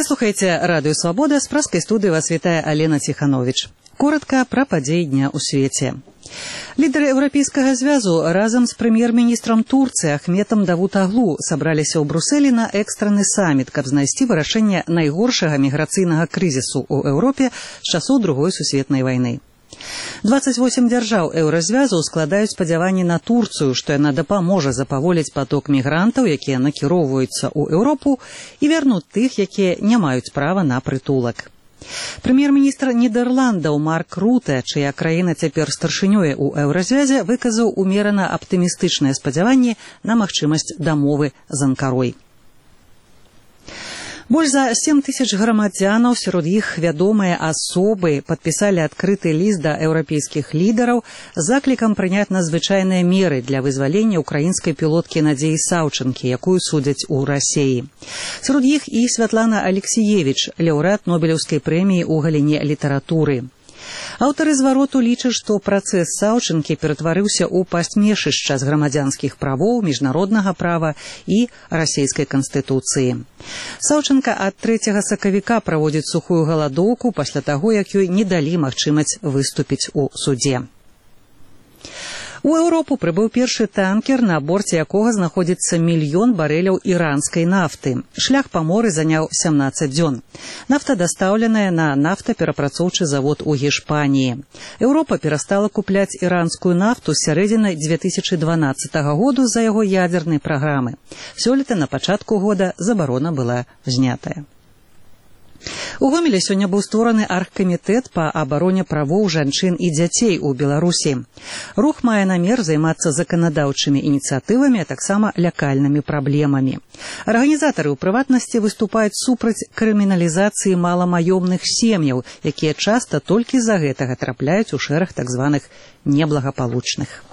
Вы слухаеце Радыё Свабода, з праскай студыі вас вітае Алена Ціхановіч. Коротка пра падзеі дня ў свеце. Лідары Еўрапейскага звязу разам з прэм'ер-міністрам Турцыі Ахметом Давутаглу сабраліся ў Брусэлі на экстраны саміт, каб знайсці вырашэнне найгоршага міграцыйнага крызісу ў Еўропе з часоў Другой сусветнай вайны. 28 дзяржаў еўразвязу складаюць спадзяванні на Турцыю, што яна дапаможа запаволіць паток мігрантаў, якія накіроўваюцца ў Еўропу, і вярнуць тых, якія не маюць права на прытулак. Прэм'ер-міністр Нідерландаў Марк Руте, чыя краіна цяпер старшынёе ў еўразвязе, выказаў умерана аптымістычныя спадзяванні на магчымасць дамовы з Анкарой. Больш за 7 тысяч грамадзянаў, сярод іх вядомыя асобы, падпісалі адкрыты ліст да еўрапейскіх лідараў з заклікам прыняць надзвычайныя меры для вызвалення украінскай пілоткі Надзеі Саўчанкі, якую судзяць у Расіі. Сярод іх і Святлана Алексіевіч, лаўрэат Нобелеўскай прэміі ў галіне літаратуры. Аўтары звароту лічаць, што працэс Саўчанкі ператварыўся ў пасмешышча з грамадзянскіх правоў, міжнароднага права і расійскай канстытуцыі. Саўчанка ад 3 сакавіка праводзіць сухую галадоўку пасля таго, як ёй не далі магчымасць выступіць у судзе. У Еўропу прыбыў першы танкер, на борце якога знаходзіцца 1 мільён барэляў іранскай нафты. Шлях па моры заняў 17 дзён. Нафта дастаўленая на нафтаперапрацоўчы завод у Гішпаніі. Еўропа перастала купляць іранскую нафту з сярэдзіны 2012 году з-за яго ядзернай праграмы. Сёлета на пачатку года забарона была знятая. У Гомелі сёння быў створаны аргкамітэт па абароне правоў жанчын і дзяцей у Беларусі. Рух мае намер займацца заканадаўчымі ініцыятывамі, а таксама лякальнымі праблемамі. Арганізатары ў прыватнасці выступаюць супраць крыміналізацыі маламаёмных сем'яў, якія часта толькі з-за гэтага трапляюць у шэраг так званых неблагапалучных.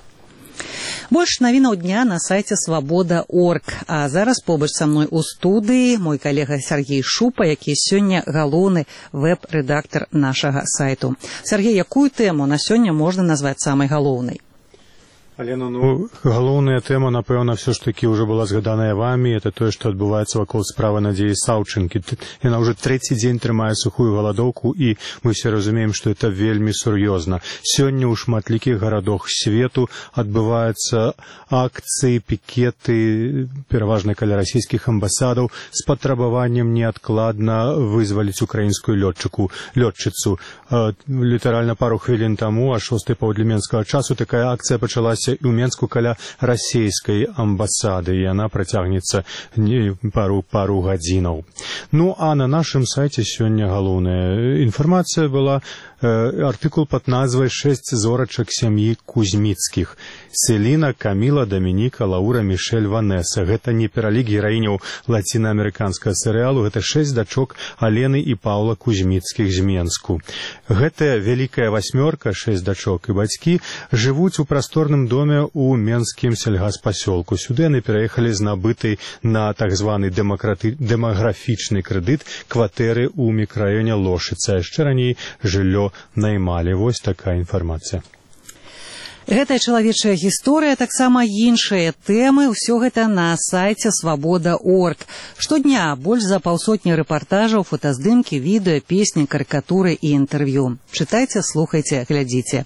Больш навінаў дня на сайце Свабода.орг. А зараз побач са мной у студыі мой калега Сергей Шупа, які сёння галоўны вэб-рэдактар нашага сайту. Сергей, якую тэму на сёння можна назваць самай галоўнай? Алена, галоўная тэма, напэўна, все ж таки уже была згаданая вами. Это тое, што адбываецца вакол справы Надзеі Саўчанкі. Яна уже 3-й дзень трымае сухую галадоўку, і мы все разумеем, што это вельмі сур'ёзна. Сёння ў шматлікіх гарадах свету адбываюцца акцыі, пікеты, пераважна каля расійскіх амбасадаў, з патрабаваннем неадкладна вызваліць украінскую лётчыцу. Літаральна пару хвілін таму, а 6 паўдля менскага часу, такая акцыя пачалася і ў Менску каля расійскай амбасады, і яна працягнецца пару гадзінаў. Ну, а на нашым сайце сёння галоўная інфармацыя была, артыкул пад назвай «6 зорачак сям'і Кузьміцкіх». Селіна, Каміла, Дамініка, Лаура, Мішель, Ванеса. Гэта не пералік гераіняў лацінаамерыканскага серыялу, гэта 6 дачок Алены і Паўла Кузьміцкіх з Менску. Гэтая вялікая васьмёрка, 6 дачок і бацькі, жывуць у прасторным доме ў менскім сельгаспасёлку. Сюды яны пераехалі з набытай на так званы дэмаграфічны крэдыт кватэры ў мікрараёне Лошыца. Яшчэ раней жыллё наймалі. Вось такая інфармацыя. Гэтая чалавечая гісторыя, таксама іншыя тэмы, ўсё гэта на сайце Свабода.орг. Штодня больш за 500 рэпартажаў, фотаздымкі, відэа, песні, карыкатуры і інтэрв'ю. Чытайце, слухайце, глядзіце.